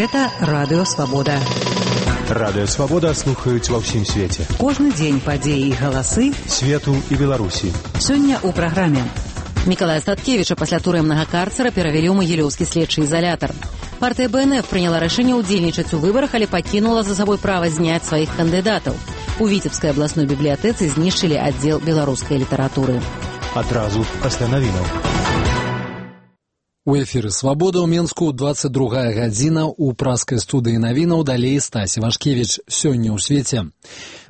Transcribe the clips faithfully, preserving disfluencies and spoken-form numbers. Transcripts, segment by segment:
Гэта Радыё Свабода. Радыё Свабода слухаюць ва ўсім свеце. Кожны дзень падзеі і галасы свету і Беларусі. Сёння ў праграме. Мікалая Статкевіча пасля турэмнага карцера перавялі ў Магілёўскі следчы ізалятар. Партыя Бэ Эн Эф прыняла рашэнне ўдзельнічаць у выбарах, але пакінула за сабой права зняць сваіх кандыдатаў. У Віцебскай абласной бібліятэцы знішчылі аддзел беларускай літаратуры. Адразу пасля навінаў. У эфіры «Свабода» ў Менску двадцать другая гадзіна, у праскай студыі навінаў далей Стасі Вашкевіч. Сёння ў свеце.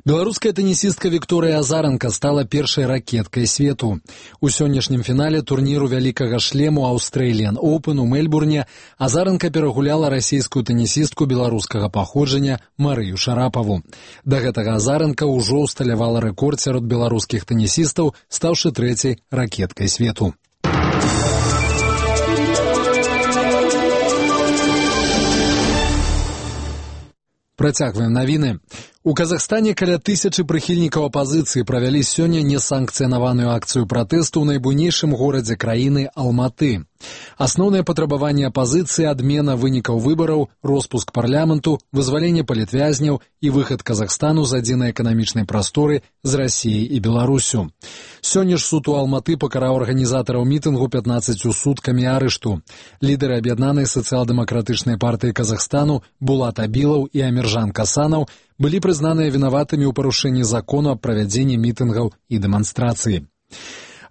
Беларуская тэнісістка Вікторыя Азаранка стала першай ракеткай свету. У сённяшнім фінале турніру вялікага шлему Australian Open у Мельбурне Азаранка перагуляла расійскую тэнісістку беларускага паходжання Марыю Шарапаву. Да гэтага Азаранка ўжо ўсталявала рэкорд сярод беларускіх тэнісістаў, стаўшы трэцяй ракеткай свету. Працягваем навіны. У Казахстане каля тысячы прыхільнікаў апазіцыі правялі сёння несанкцыянаваную акцыю пратэсту ў найбуйнейшым горадзе краіны Алматы. Асноўныя патрабаванні апазіцыі — адмена вынікаў выбараў, роспуск парламенту, вызваленне палітвязняў і выхад Казахстану з адзінай эканамічнай прасторы з Расіяй і Беларусю. Сёння ж суд у Алматы пакараў арганізатараў мітынгу пятнаццаццю суткамі арышту. Лідары аб'яднанай сацыял-дэмакратычнай партыі Казахстану Булат Абілаў і Аміржан Касанаў былі прызнаныя вінаватымі ў парушэнні закону аб правядзенні мітынгаў і дэманстрацыі.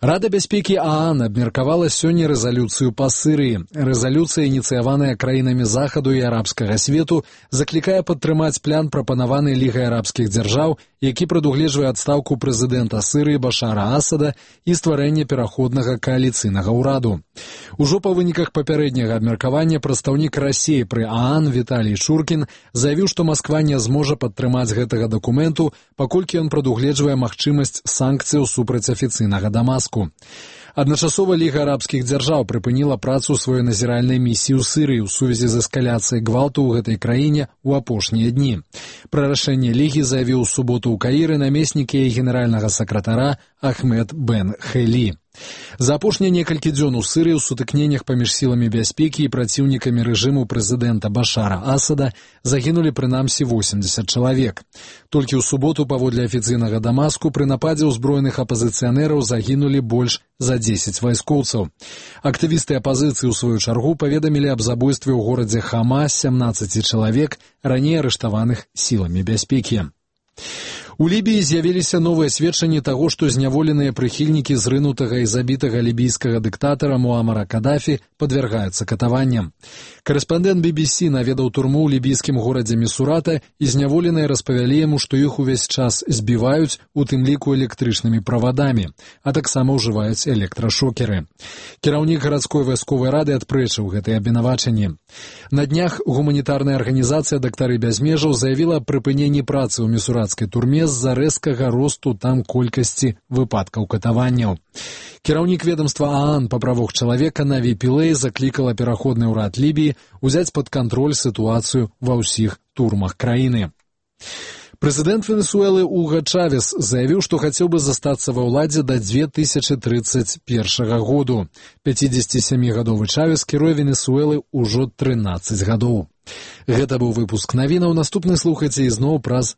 Рада бяспекі ААН абмеркавала сёння рэзалюцыю па Сырыі. Рэзалюцыя, ініцыяваная краінамі захаду і арабскага свету, заклікае падтрымаць план, прапанаваны Лігай арабскіх дзяржаў, які прадугледжвае адстаўку прэзідэнта Сырыі Башара Асада і стварэнне пераходнага кааліцыйнага ўраду. Ужо па выніках папярэдняга абмеркавання прадстаўнік Расіі пры ААН Віталій Шуркін заявіў, што Масква не зможа падтрымаць гэтага дакументу, паколькі ён прадугледжвае магчымасць санкцыяў супраць афіцыйнага Дамаску. Адначасова Ліга арабскіх дзяржаў прыпыніла працу сваёй назіральнай місіі ў Сырыі ў сувязі з эскаляцыяй гвалту ў гэтай краіне ў апошнія дні. Пра рашэнне Лігі заявіў у суботу ў Каіры намеснік яе генеральнага сакратара Ахмед Бен Хелі. За апошнія некалькі дзён у Сырыі ў сутыкненнях паміж сіламі бяспекі і праціўнікамі рэжыму прэзідэнта Башара Асада загінулі прынамсі восемьдесят чалавек. Толькі ў суботу, паводле афіцыйнага Дамаску, пры нападзе ўзброеных апазіцыянераў загінулі больш за дзесяць вайскоўцаў. Актывісты апазіцыі ў сваю чаргу паведамілі аб забойстве ў горадзе Хама сямнаццаці чалавек, раней арыштаваных сіламі бяспекі. У Лібіі з'явіліся новыя сведчанні таго, што зняволеныя прыхільнікі зрынутага і забітага лібійскага дыктатара Муамара Кадафі падвяргаюцца катаванням. Карэспандэнт Би Би Си наведаў турму ў лібійскім горадзе Місурата, і зняволеныя распавялі яму, што іх увесь час збіваюць, у тым ліку электрычнымі правадамі, а таксама ўжываюць электрашокеры. Кіраўнік гарадской вайсковай рады адпрэчыў гэтыя абвінавачанні. На днях гуманітарная арганізацыя «Дактары без межаў» заявіла аб прыпыненні працы ў місуратскай турме з-за рэзкага росту там колькасці выпадкаў катаванняў. Кіраўнік ведомства ААН па правах чалавека Наві Пілэй заклікала пераходны ўрад Лібіі узяць пад кантроль сітуацыю ва ўсіх турмах краіны. Прэзідэнт Венесуэлы Уга Чавес заявіў, што хацеў бы застацца ва ўладзе да две тысячы тридцать першага году. пяцідзесяцісямігадовы Чавес кіруе Венесуэлы ўжо трынаццаць гадоў. Гэта быў выпуск навінаў. Наступны слухайце ізноў праз